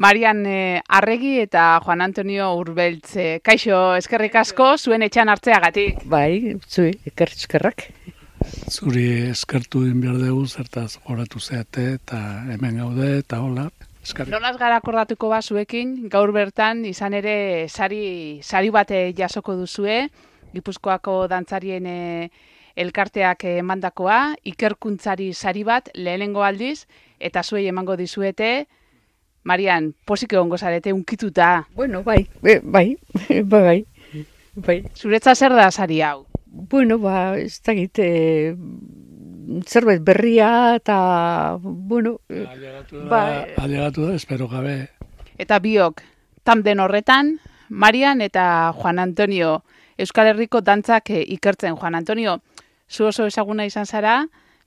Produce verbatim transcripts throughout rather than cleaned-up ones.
Marian eh, Arregi eta Juan Antonio Urbeltz. Kaixo, eskerrik asko, zuen etxean hartzeagatik. Bai, zui, eskerrak. Zuri eskertu din behar dugu, zertaz horatu zeate eta hemen gaude eta hola. Eskerrik. Nolaz gara akordatuko ba zuekin, gaur bertan izan ere sari, sari bate jasoko duzue, Gipuzkoako dantzarien eh, elkarteak emandakoa, ikerkuntzari sari bat lehenengo aldiz, eta zuei emango dizuete. Marian, posik egongo zarete unkituta. Bueno, bai, bai, bai, bai, bai. Zuretza zer da sari hau? Bueno, ba, ez da gite, zerbait berria eta, bueno, Ailegatu da, ba, ailegatu da, espero gabe. Eta biok, tamden horretan, Marian eta Juan Antonio, Euskal Herriko dantzak eh, ikertzen. Juan Antonio, zu oso ezaguna izan zara,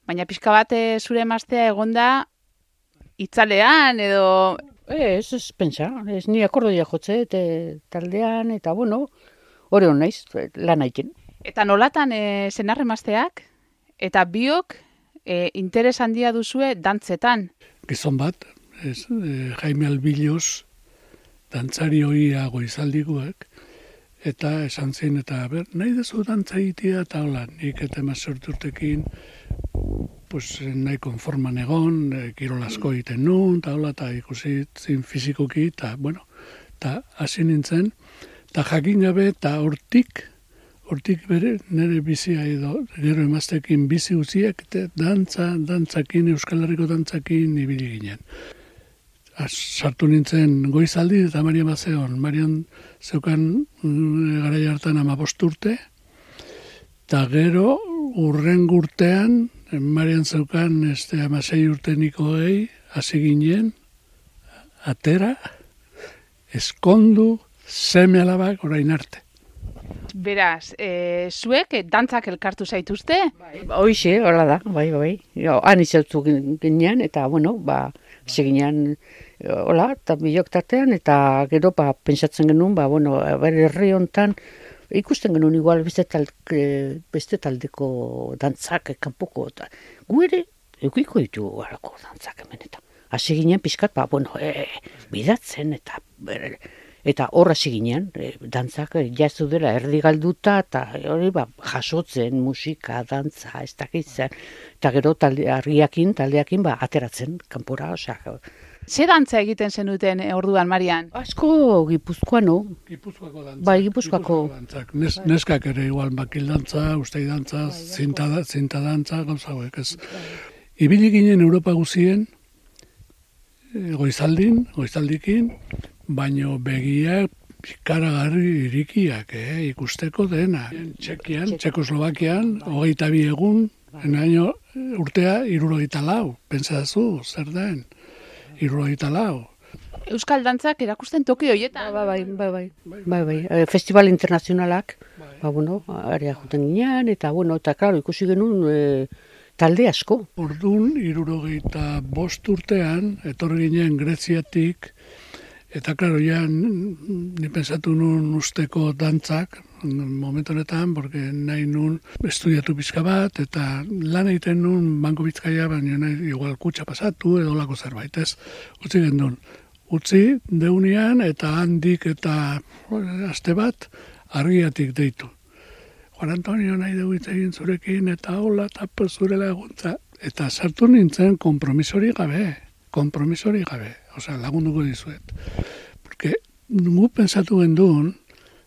baina pixka bat eh, zure emaztea egonda itzalean edo... ez, ez pentsa, ez ni akordoia jotze, eta taldean, eta bueno, hori hon naiz, lan haiken. Eta nolatan e, senar emazteak, eta biok e, interes handia duzue dantzetan. Gizon bat, ez, e, Jaime Albiloz, dantzari hoia goizaldikoak, eta esan zein, eta ber, nahi dezu dantza egitea, eta hola, nik eta emazortu urtekin, pues, nahi konforman egon, e, kirol asko egiten nuen, eta hola, eta ikusi zin fizikoki, eta, bueno, eta hasi nintzen, eta jakin gabe, eta hortik, hortik bere, nire bizia edo, gero emaztekin bizi uziak, eta dantza, dantzakin, Euskal Herriko dantzakin ibili ginen. Sartu nintzen goizaldi eta Marian bat zegoen. Marian zeukan garai hartan hamabost urte, eta gero urren urtean, Marian zeukan este, hamasei urte nikoei, hasi ginen, atera, eskondu, seme alabak orain arte. Beraz, e, zuek e, dantzak elkartu zaituzte? Hoixe, hola da, bai, bai. Jo, han izautu ginean, eta, bueno, ba, seginean, hola, eta bilok tartean, eta gero, ba, pentsatzen genuen, ba, bueno, bere herri hontan, ikusten genuen igual beste, tal, beste taldeko dantzak, kanpoko, eta gu ere, eukiko ditu garako dantzak hemen, eta hasi ginen pixkat, ba, bueno, e, bidatzen, eta bere, eta horra ziginean, e, dantzak jazu dela erdi galduta, eta hori ba, jasotzen musika, dantza, ez dakitzen, eta gero talde, argiakin, taldeakin ba, ateratzen, kanpora, osea. Ze dantza egiten zenuten e, orduan, Marian? Asko Gipuzkoano. Gipuzkoako dantza. Bai, Gipuzkoako. Dantzak. Nes, neskak ere igual bakil dantza, ustei dantza, zinta, zinta dantza, gauza hauek, ez. Ibili ginen Europa guzien, goizaldin, goizaldikin, baino begiak ikaragarri irikiak, eh, ikusteko dena. Txekian, Txekoslovakian, hogeita bi egun, enaino urtea irurogeita lau, pentsazu, zer den, irurogeita lau. Euskal dantzak erakusten toki horietan. Bai, bai, bai, bai, bai, bai. E, festival internazionalak, ba, bueno, area juten ginean, eta, bueno, eta, klaro, ikusi genuen e, talde asko. Orduan, irurogeita bost urtean, etorri ginen Greziatik, eta, klaro, ja, ni pensatu nun usteko dantzak, momentu honetan, porque nahi nun estudiatu pizka bat, eta lan egiten nun Banko Bizkaia, baina nahi igual kutsa pasatu, edo lako zerbait, ez, utzi gendun. Utzi, deunian, eta handik eta aste bat, argiatik deitu. Juan Antonio nahi dugu hitz egin zurekin, eta hola, eta zure laguntza. Eta sartu nintzen kompromisori gabe, kompromisori gabe, osea, lagunduko dizuet. Porque gu pensatu gendun,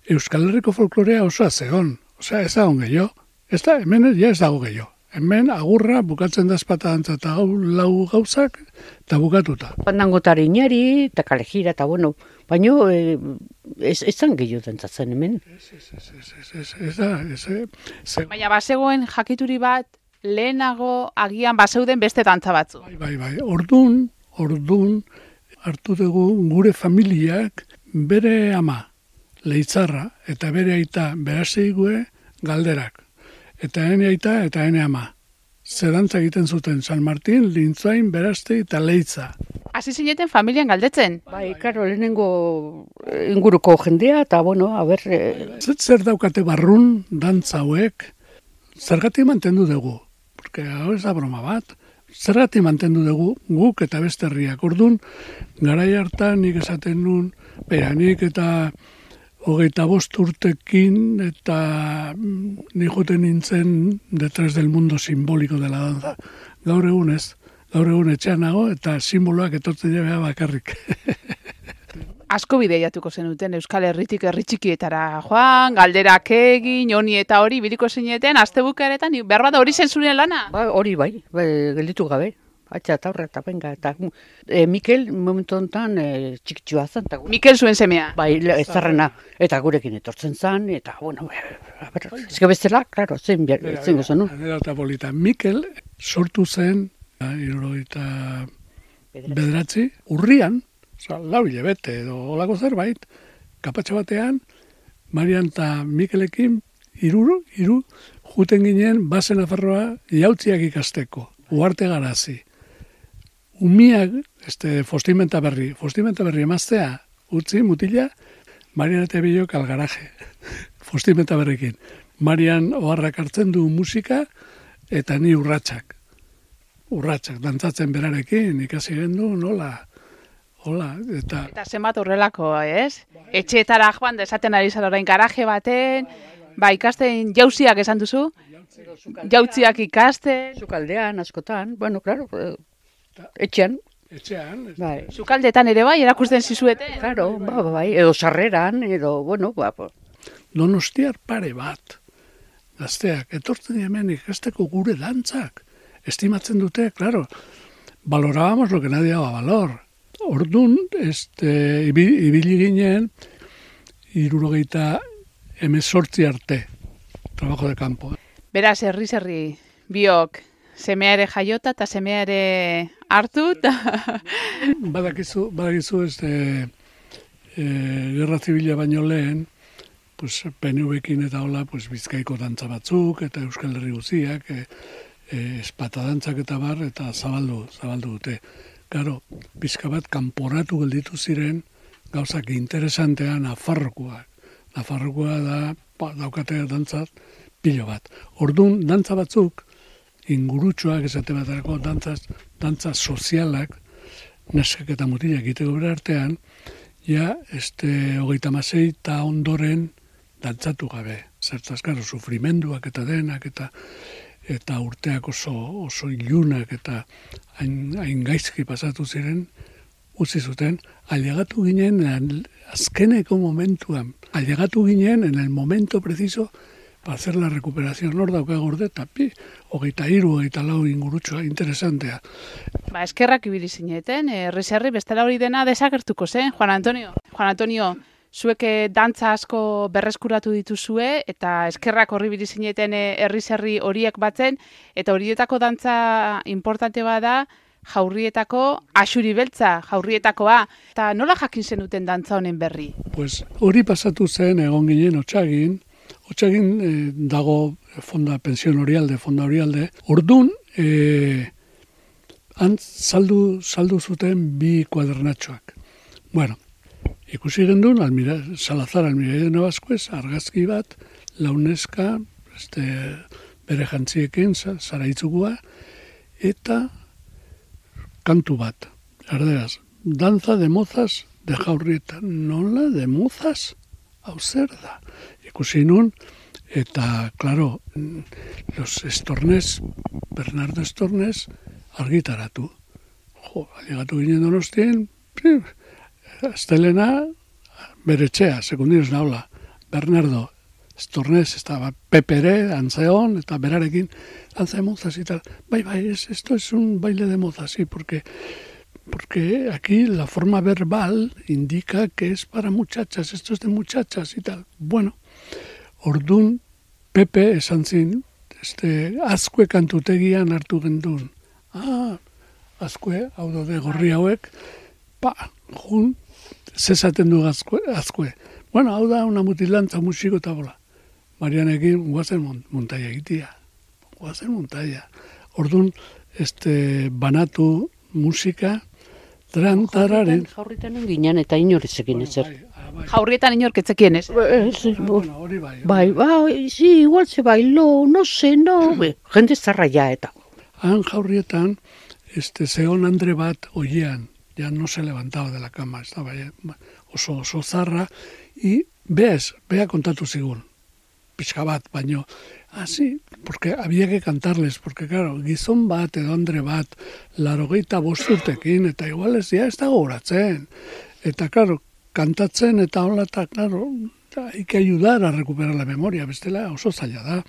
Euskal Herriko folklorea oso zegon, osea, ez dago gehiago, ez da, hemen ja ez dago gehiago. Hemen agurra bukatzen da espata dantza eta gau, lau gauzak eta bukatuta. Pandangotari inari, eta kalejira, eta bueno, baina e, ez, ez zan gehiago dantzatzen hemen. Ez, ez, ez, ez, ez, ez, ez da, ez, ez, Baina bazegoen jakituri bat, lehenago agian bazeuden beste dantza batzu. Bai, bai, bai, ordun, ordun, hartu dugu gure familiak bere ama, leitzarra, eta bere aita beraseigue galderak. Eta ene aita eta ene ama. Zerantza egiten zuten San Martin, Lintzain, Berazte eta Leitza. Hasi zineten familian galdetzen. Bai, karo, lehenengo inguruko jendea, eta bueno, a ber... E... Zer, zer daukate barrun, dantza hauek, zergatik mantendu dugu. Porque hau ez da broma bat. zergatik mantendu dugu guk eta beste herriak. Orduan, garai hartan nik esaten nun, bera, nik eta hogeita bost urtekin eta nik joten nintzen detrás del mundo simbólico de la danza. Gaur egun ez, gaur egun etxean nago eta simboloak etortzen jabea bakarrik. Asko bideiatuko zenuten Euskal Herritik herri txikietara joan, galderak egin, honi eta hori biliko zineten, astebukaretan, behar bat hori zen zure lana? Ba, hori bai, bai, gelditu gabe. Atxa eta horre eta benga. Eta, e, Mikel momentu honetan e, txikitsua zen. Ta, Mikel zuen semea. Bai, ez zarrena. Eta gurekin etortzen zen, eta, bueno, a ber, ezke bestela, klaro, zen, zen gozan, no? Eta polita, Mikel sortu zen, hirurogeita bederatzi, urrian, oza, lau hilabete edo olako zerbait, kapatxo batean, Marian eta Mikelekin, hiru, hiru, juten ginen, bazen afarroa, jautziak ikasteko, uarte garazi. Umiak, este, Fostimenta berri, Fostimenta berri emaztea, utzi, mutila, Marian eta bilok algaraje, Fostimenta berrikin. Marian oharrak hartzen du musika, eta ni urratsak. Urratsak, dantzatzen berarekin, ikasi gendu, nola, hola, eta... Eta zenbat horrelako, ez? Etxeetara joan, desaten ari zara orain garaje baten, ba, ikasten jauziak esan duzu? Jautziak ikasten... Sukaldean, askotan, bueno, claro, etxean. Etxean. Bai. Sukaldetan ere bai, erakusten zizuete? Claro, ba, bai, edo sarreran, edo, bueno, ba, Donostiar pare bat, gazteak, etortzen hemen ikasteko gure dantzak. Estimatzen dute, claro, valorábamos lo que nadie daba valor. Ordun, este, ibili ginen, hirurogeita hemezortzi arte, trabajo de campo. Beraz, herri-herri, biok, semea ere jaiota eta semea ere hartu. Badakizu, badakizu, este, e, Gerra Zibila baino lehen, pues, P N V-ekin eta hola, pues, Bizkaiko dantza batzuk, eta Euskal Herri guziak, e, e, espata dantzak eta bar, eta zabaldu, zabaldu dute. Garo, pizka bat kanporatu gelditu ziren, gauzak interesantean Nafarrokoak. Nafarrokoa da, ba, daukate dantzat, pilo bat. Ordun dantza batzuk, ingurutxoak esate batarako dantzaz, dantza sozialak, neskak eta mutilak egiteko bere artean, ja, este, hogeita masei eta ondoren dantzatu gabe. Zertaz, garo, sufrimenduak eta denak, eta eta urteak oso, oso ilunak eta hain, hain gaizki pasatu ziren, utzi zuten, ailegatu ginen azkeneko momentuan, ailegatu ginen en el momento preciso para hacer la recuperación. Nor dauka gorde, tapi, hogeita hiru, hogeita lau ingurutxoa, interesantea. Ba, eskerrak ibili zineten, herri-herri bestela hori dena desagertuko zen, Juan Antonio. Juan Antonio, zuek dantza asko berreskuratu dituzue, eta eskerrak horri ibili zineten herri-herri horiek batzen, eta horietako dantza importante bada, jaurrietako axuri beltza, jaurrietakoa. Eta nola jakin zenuten dantza honen berri? Pues hori pasatu zen egon ginen Otsagin, Otsagin eh, dago fonda pensión Orialde, fonda Orialde. Ordun eh, antz saldu, saldu zuten bi kuadernatxoak. Bueno, ikusi gendun, Almira, Salazar Almira de Navasquez, argazki bat, launeska, este, bere jantziekin, zaraitzukua, eta kantu bat, erderaz, danza de mozas de Jaurrieta. Nola de mozas? Hau zer da? Ikusi nun, eta, claro, los Estornes, Bernardo Estornes, argitaratu. Jo, alegatu ginen Donostien, astelena, bere etxea, sekundinos naula, Bernardo Estornes, estaba Pepere, Antzeon, eta berarekin, danza de mozas y tal. Bai, bai, es, esto es un baile de mozas, sí, porque, porque aquí la forma verbal indica que es para muchachas, esto es de muchachas y tal. Bueno, ordun, Pepe esan zin, este, azkue kantutegian hartu gendun. Ah, azkue, hau de gorri hauek, pa, jun, zezaten du azkue, azkue. Bueno, hau da, una mutilantza musiko eta bola. Marianekin, guazen montaia egitea. Guazen montaia. Orduan, este, banatu musika, trantararen... Jaurrietan ginen eta inorrezekin ezer. Jaurrietan inorketzekien ez? Hori bai. Bai, bai, sí, igual se bailó, no sé, no. Jende zarra ja eta. Han jaurrietan, este, zeon Andre bat oiean, ya no se levantaba de la cama, estaba ya oso, oso zarra, y beaz, bea kontatu zigun, pixka bat, baino, así, porque había que cantarles, porque claro, gizon bat edo Andre bat, larogeita bosturtekin, eta igual ez ya ez da gogoratzen, eta claro, kantatzen eta hola, eta claro, hay que ayudar a recuperar la memoria, bestela oso zaila da.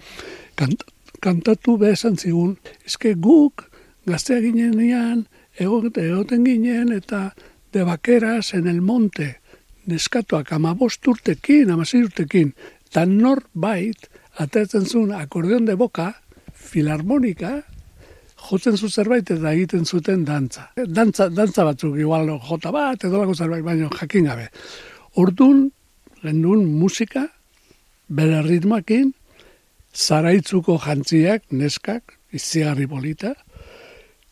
Kant, kantatu behar zigun, eske guk gaztea ginenean, egoten ginen eta de vaqueras en el monte, neskatuak amabost urtekin, amasei urtekin, eta norbait, atatzen zuen akordeon de boka, filarmonika, jotzen zu zerbait eta egiten zuten dantza. Dantza, dantza batzuk, igual jota bat, edo lako zerbait, baina jakin gabe. Orduan, gendun musika, bere ritmoekin, zaraitzuko jantziak, neskak, izigarri polita,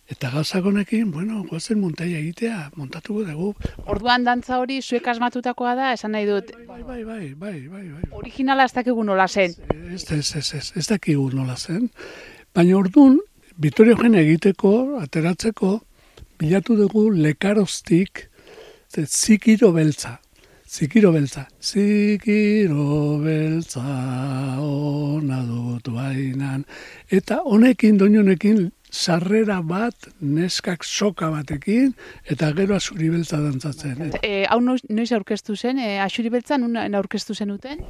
eta gauzakonekin, bueno, gozen montaia egitea, montatuko dugu. Orduan dantza hori zuek asmatutakoa da, esan nahi dut. Bai, bai, bai, bai, bai, bai. Originala ez dakigu nola zen. Ez, ez, ez, ez, ez dakigu nola zen. Baina orduan, Vittorio Eugenia egiteko, ateratzeko, bilatu dugu lekaroztik, zikiro beltza. Zikiro beltza. Zikiro beltza ona dut bainan. Eta honekin, doinonekin, sarrera bat, neskak soka batekin, eta gero azuri beltza dantzatzen. E, hau noiz aurkeztu zen, e, azuri beltza nun aurkeztu zenuten?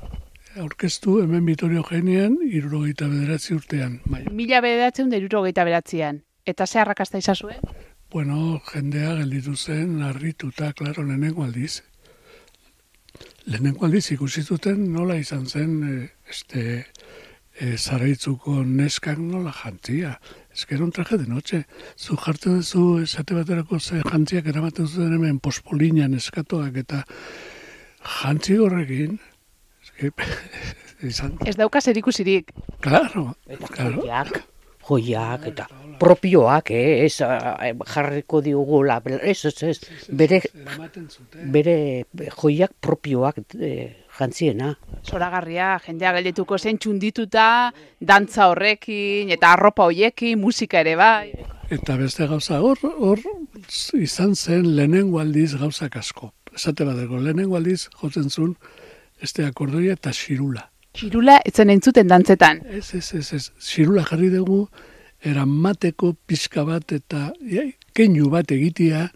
Aurkeztu hemen Vittorio Eugenian, hirurogeita bederatzi urtean. Bai. Mila bederatzeun da hirurogeita beratzean. Eta ze arrakasta izazue? Bueno, jendea gelditu zen, harrituta, klaro, lehenengo aldiz. Lehenengo aldiz ikusi zuten nola izan zen e, este, e, zaraitzuko neskak nola jantzia. Ez que era un traje de noche. Zu jartzen duzu esate baterako ze jantziak eramaten zuten hemen pospolinan eskatoak eta jantzi horrekin. Ez que, izan... Ez dauka zerikusirik. Claro, Eta claro. joiak, joiak, eta propioak, eh, ez eh, jarriko diugula, ez, ez, ez, bere, Eramaten zuten. bere joiak propioak eh, jantziena. Zoragarria, jendea geldituko zen txundituta, dantza horrekin, eta arropa hoiekin, musika ere bai. Eta beste gauza, hor, hor izan zen lehenengo aldiz gauzak asko. Esate bateko, lehenengo aldiz jotzen zuen este akordoia eta xirula. Txirula etzen entzuten dantzetan. Ez, ez, ez, ez, xirula jarri dugu, eramateko pixka bat eta ja, keinu bat egitea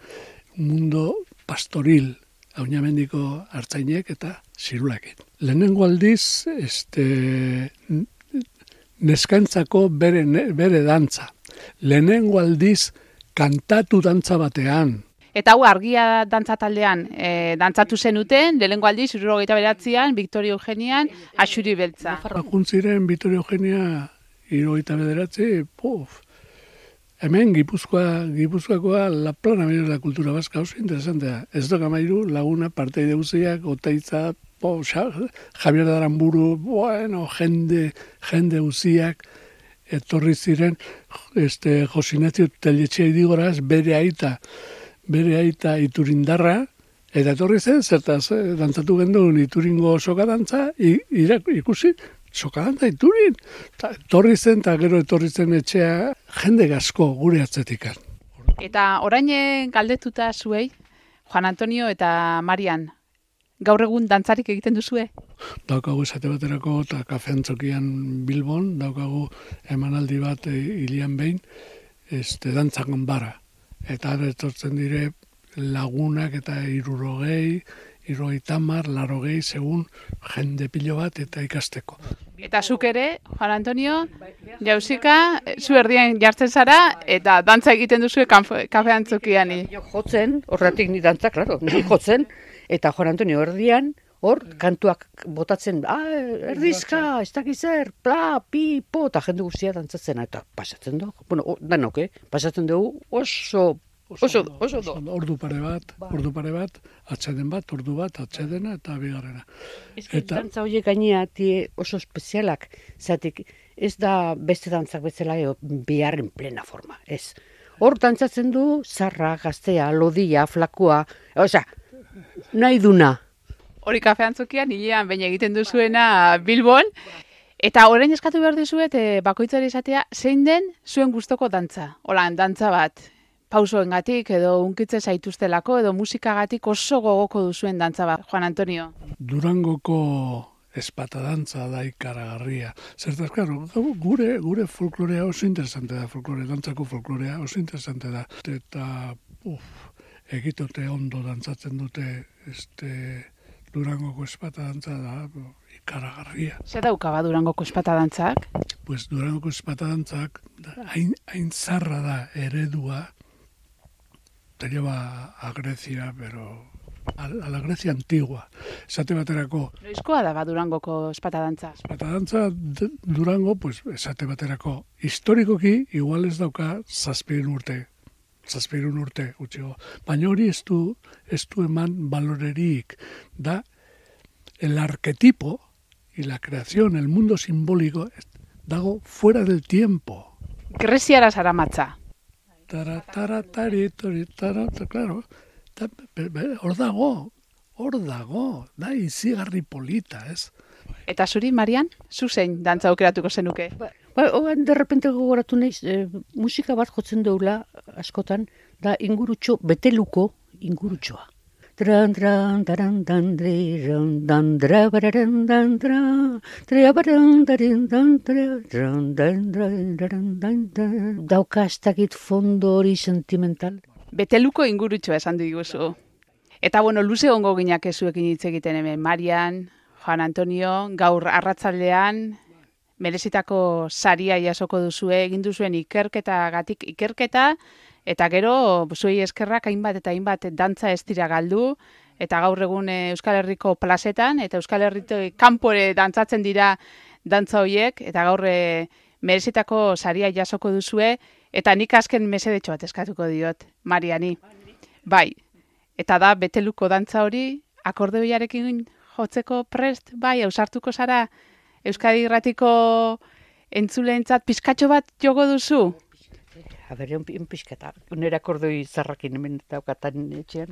mundo pastoril, haunamendiko hartzainek eta xirulakin. Lehenengo aldiz, este, neskantzako bere, bere dantza. Lehenengo aldiz, kantatu dantza batean. Eta hau argia dantza taldean e, dantzatu zenuten, lehenengo aldiz, hirurogeita beratzean, Victorio Eugenian, Axuri beltza. Bakuntziren Vittorio Eugenia hirurogeita bederatzi, puf. Hemen Gipuzkoa, Gipuzkoakoa la plana de la cultura vasca, oso interesantea. Ez doka mairu, laguna, parteide guziak, Otaitza, po, Javier de Aramburu, bueno, jende, jende guziak, etorri ziren, este, Josinazio Telletxea idigoraz, bere aita, bere aita Iturindarra, eta etorri zen, zertaz, eh, dantzatu gendun Ituringo soka dantza, ikusi, sokadantza Iturin. Ta, etorri zen, eta gero etorri zen etxea, jende gasko gure atzetikan. Eta orain galdetuta zuei, Juan Antonio eta Marian, gaur egun dantzarik egiten duzue? Daukagu esate baterako eta kafeantzokian Bilbon, daukagu emanaldi bat e, hilian behin, este, dantzakan bara. Eta ara etortzen dire lagunak eta hirurogei, hirurogeita hamar, larogei, segun jende pilo bat eta ikasteko. Eta zuk ere, Juan Antonio, jauzika, zu erdian jartzen zara, eta dantza egiten duzue kafeantzokian. Jo jotzen, horretik ni dantza, klaro, ni jotzen, eta Juan Antonio erdian, hor, kantuak botatzen, ah, erdizka, ez dakiz zer, pla, pi, po, eta jende guztia dantzatzen, eta pasatzen dugu, bueno, danok, eh? Pasatzen dugu oso, oso, oso do. Ordu pare bat, ordu pare bat, atxeden bat, ordu bat, atxedena eta bigarrena. Ez que Eta- dantza horiek gainea tie oso espezialak, zatik ez da beste dantzak bezala eo, biharren plena forma, ez. Hor dantzatzen du, zarra, gaztea, lodia, flakua, osea, nahi duna. Hori kafeantzokian, hilean baina egiten duzuena Bilbon. Eta orain eskatu behar dizuet, e, bakoitzari esatea, zein den zuen gustoko dantza? Hola, dantza bat. pausoengatik edo unkitze zaituztelako edo musikagatik oso gogoko duzuen dantza bat, Juan Antonio? Durangoko espatadantza da ikaragarria. Zertaz, claro, gure, gure folklorea oso interesante da, folklore, dantzako folklorea oso interesante da. Eta, uf, egitote ondo dantzatzen dute, este, Durangoko espatadantza da ikaragarria. Zer dauka ba Durangoko espatadantzak? Pues Durangoko espatadantzak hain, hain zarra da eredua, te lleva a Grecia, pero a, a la Grecia antigua. Esate baterako... Noizkoa da ba Durangoko espatadantza? Espatadantza Durango, pues, esate baterako historikoki, igual ez dauka zazpirun urte. Zazpirun urte, utxego. Baina hori ez du, ez du eman balorerik. Da, el arquetipo y la creación, el mundo simbólico, dago fuera del tiempo. Greziara zaramatza. Tara, tara, tari, tori, tara, claro. Hor dago, hor dago, da izigarri polita, ez? Eta zuri, Marian, zu zein dantza aukeratuko zenuke? Ba, oan derrepente gogoratu naiz, e, musika bat jotzen deula askotan, da ingurutxo, beteluko ingurutxoa. Tran, tran, taran, dan, dan, dan, dra, bararan, dan, dra, dra, bararan, dan, dan, dan, dan, dan, dan, dauka ez dakit fondo hori sentimental. Beteluko ingurutxoa esan diguzu. Eta, bueno, luze ongo ginak ezuekin hitz egiten hemen, Marian, Juan Antonio, gaur arratzaldean, merezitako saria jasoko duzue, egin duzuen ikerketagatik ikerketa, eta gero zuei eskerrak hainbat eta hainbat dantza ez dira galdu, eta gaur egun Euskal Herriko plazetan, eta Euskal Herriko kanpore dantzatzen dira dantza horiek, eta gaur merezitako saria jasoko duzue, eta nik azken mesedetxo bat eskatuko diot, Mariani. Bai, eta da beteluko dantza hori, akordeoiarekin jotzeko prest, bai, ausartuko zara, Euskadi Irratiko entzuleentzat pizkatxo bat jogo duzu? A ber, un pizkata, unera akordoi zarrakin hemen daukatan etxean.